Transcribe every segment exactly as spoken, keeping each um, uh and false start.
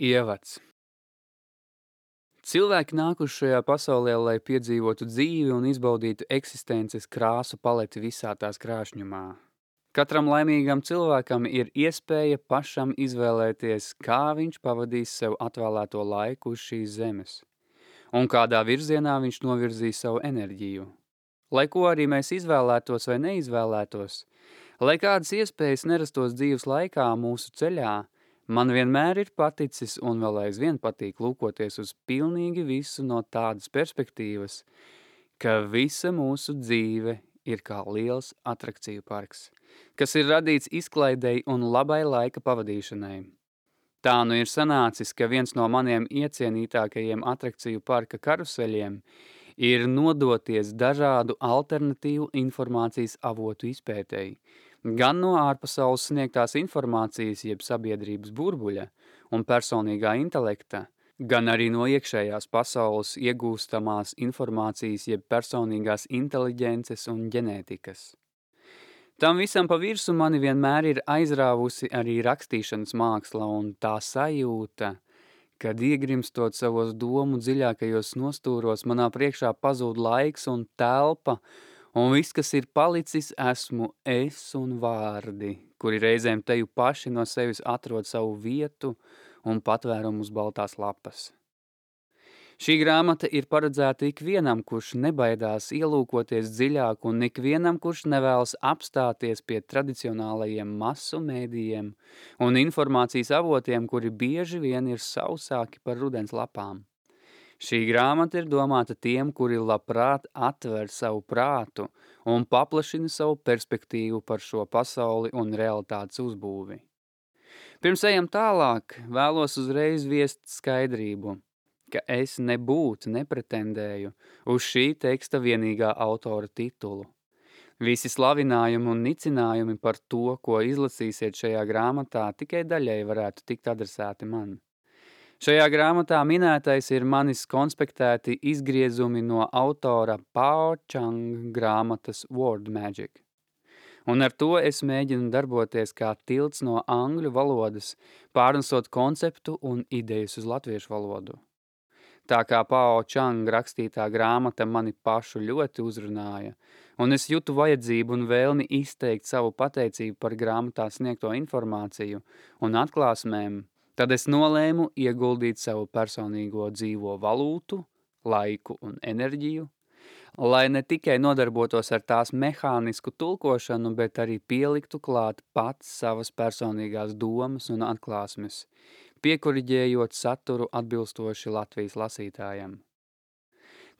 Ievads. Cilvēki nākuši šajā pasaulē, lai piedzīvotu dzīvi un izbaudītu eksistences krāsu paleti visā tās krāšņumā. Katram laimīgam cilvēkam ir iespēja pašam izvēlēties, kā viņš pavadīs sev atvēlēto laiku uz šīs zemes, un kādā virzienā viņš novirzīs savu enerģiju. Lai ko arī mēs izvēlētos vai neizvēlētos, lai kādas iespējas nerastos dzīves laikā mūsu ceļā, man vienmēr ir paticis un vēl aizvien patīk lūkoties uz pilnīgi visu no tādas perspektīvas, ka visa mūsu dzīve ir kā liels atrakciju parks, kas ir radīts izklaidei un labai laika pavadīšanai. Tā nu ir sanācis, ka viens no maniem iecienītākajiem atrakciju parka karuseļiem ir nodoties dažādu alternatīvu informācijas avotu izpētēji, gan no ārpasaules sniegtās informācijas jeb sabiedrības burbuļa un personīgā intelekta, gan arī no iekšējās pasaules iegūstamās informācijas jeb personīgās inteliģences un ģenētikas. Tam visam pa virsu mani vienmēr ir aizrāvusi arī rakstīšanas māksla un tā sajūta, kad iegrimstot savos domu dziļākajos nostūros, manā priekšā pazūd laiks un telpa, un viss, kas ir palicis, esmu es un vārdi, kuri reizēm teju paši no sevis atrod savu vietu un patvērumu uz baltās lapas. Šī grāmata ir paredzēta ikvienam, kurš nebaidās ielūkoties dziļāk un ikvienam, kurš nevēlas apstāties pie tradicionālajiem masu mēdījiem un informācijas avotiem, kuri bieži vien ir sausāki par rudens lapām. Šī grāmata ir domāta tiem, kuri labprāt atver savu prātu un paplašina savu perspektīvu par šo pasauli un realitātes uzbūvi. Pirms ejam tālāk, vēlos uzreiz viest skaidrību, ka es nebūtu nepretendēju uz šī teksta vienīgā autora titulu. Visi slavinājumi un nicinājumi par to, ko izlasīsiet šajā grāmatā, tikai daļai varētu tikt adresēti man. Šajā grāmatā minētais ir manis konspektēti izgriezumi no autora Pao Chang grāmatas Word Magic. Un ar to es mēģinu darboties kā tilts no angļu valodas, pārnesot konceptu un idejas uz latviešu valodu. Tā kā Pao Chang rakstītā grāmata mani pašu ļoti uzrunāja, un es jūtu vajadzību un vēlmi izteikt savu pateicību par grāmatā sniegto informāciju un atklāsmēm, tad es nolēmu ieguldīt savu personīgo dzīvo valūtu, laiku un enerģiju, lai ne tikai nodarbotos ar tās mehānisku tulkošanu, bet arī pieliktu klāt pats savas personīgās domas un atklāsmes, piekoriģējot saturu atbilstoši Latvijas lasītājam.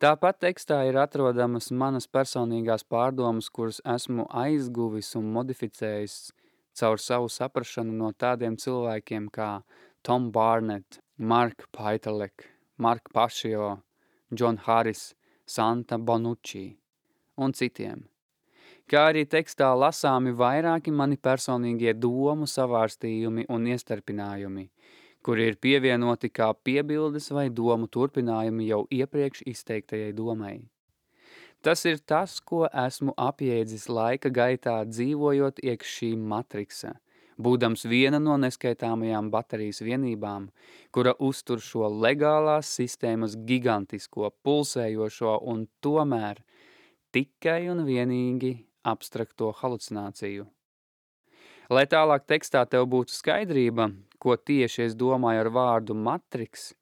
Tāpat tekstā ir atrodamas manas personīgās pārdomas, kuras esmu aizguvis un modificējis caur savu saprašanu no tādiem cilvēkiem kā Tom Barnett, Mark Pajtalek, Mark Pašio, John Harris, Santa Bonucci un citiem. Kā arī tekstā lasāmi vairāki mani personīgie domu savārstījumi un iestarpinājumi, kuri ir pievienoti kā piebildes vai domu turpinājumi jau iepriekš izteiktajai domai. Tas ir tas, ko esmu apjēdzis laika gaitā dzīvojot iekš šī matriksa, būdams viena no neskaitāmajām baterijas vienībām, kura uztur šo legālās sistēmas gigantisko, pulsējošo un tomēr tikai un vienīgi abstrakto halucināciju. Lai tālāk tekstā tev būtu skaidrība, ko tieši es domāju ar vārdu matriks,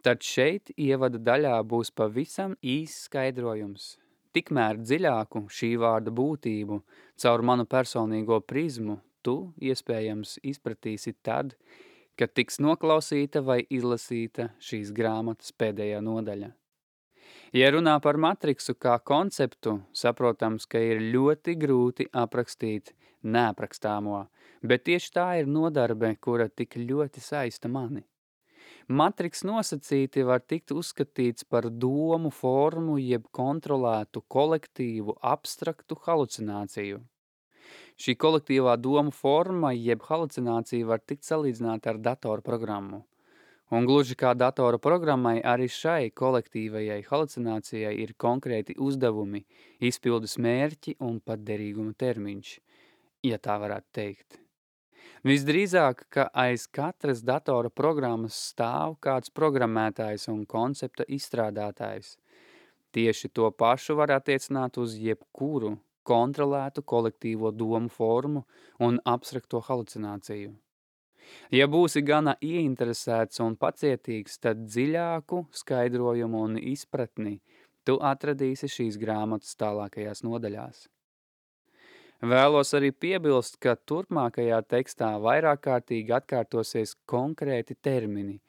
tad šeit ievada daļā būs pavisam īss skaidrojums. Tikmēr dziļāku šī vārda būtību caur manu personīgo prizmu tu, iespējams, izpratīsi tad, kad tiks noklausīta vai izlasīta šīs grāmatas pēdējā nodaļa. Ja runā par matriksu kā konceptu, saprotams, ka ir ļoti grūti aprakstīt neaprakstāmo, bet tieši tā ir nodarbe, kura tik ļoti saista mani. Matriks nosacīti var tikt uzskatīts par domu formu jeb kontrolētu kolektīvu abstraktu halucināciju. Šī kolektīvā domu forma jeb halucinācija var tikt salīdzināta ar datoru programmu. Un gluži kā datora programmai, arī šai kolektīvajai halucinācijai ir konkrēti uzdevumi, izpildes mērķi un pat derīguma termiņš, ja tā varētu teikt. Visdrīzāk, ka aiz katras datora programmas stāv kāds programmētājs un koncepta izstrādātājs. Tieši to pašu var attiecināt uz jebkuru kontrolētu kolektīvo domu formu un abstrakto halucināciju. Ja būsi gana ieinteresēts un pacietīgs, tad dziļāku skaidrojumu un izpratni tu atradīsi šīs grāmatas tālākajās nodaļās. Vēlos arī piebilst, ka turpmākajā tekstā vairāk kārtīgi atkārtosies konkrēti termini,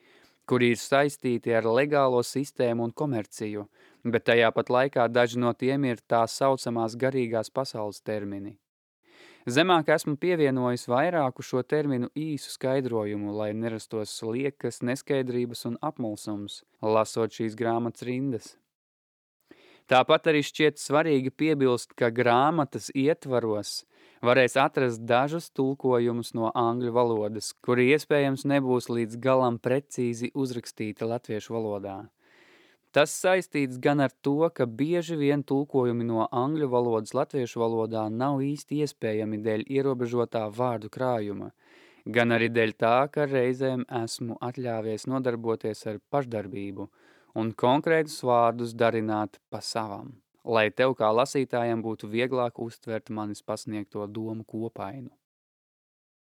kuri ir saistīti ar legālo sistēmu un komerciju, bet tajā pat laikā daži no tiem ir tā saucamās garīgās pasaules termini. Zemāk esmu pievienojis vairāku šo terminu īsu skaidrojumu, lai nerastos liekas, neskaidrības un apmulsums, lasot šīs grāmatas rindas. Tāpat arī šķiet svarīgi piebilst, ka grāmatas ietvaros varēs atrast dažus tulkojumus no angļu valodas, kuri iespējams nebūs līdz galam precīzi uzrakstīti latviešu valodā. Tas saistīts gan ar to, ka bieži vien tulkojumi no angļu valodas latviešu valodā nav īsti iespējami dēļ ierobežotā vārdu krājuma, gan arī dēļ tā, ka reizēm esmu atļāvies nodarboties ar pašdarbību un konkrētus vārdus darināt pa savam, lai tev kā lasītājam būtu vieglāk uztvert manis pasniegto domu kopainu.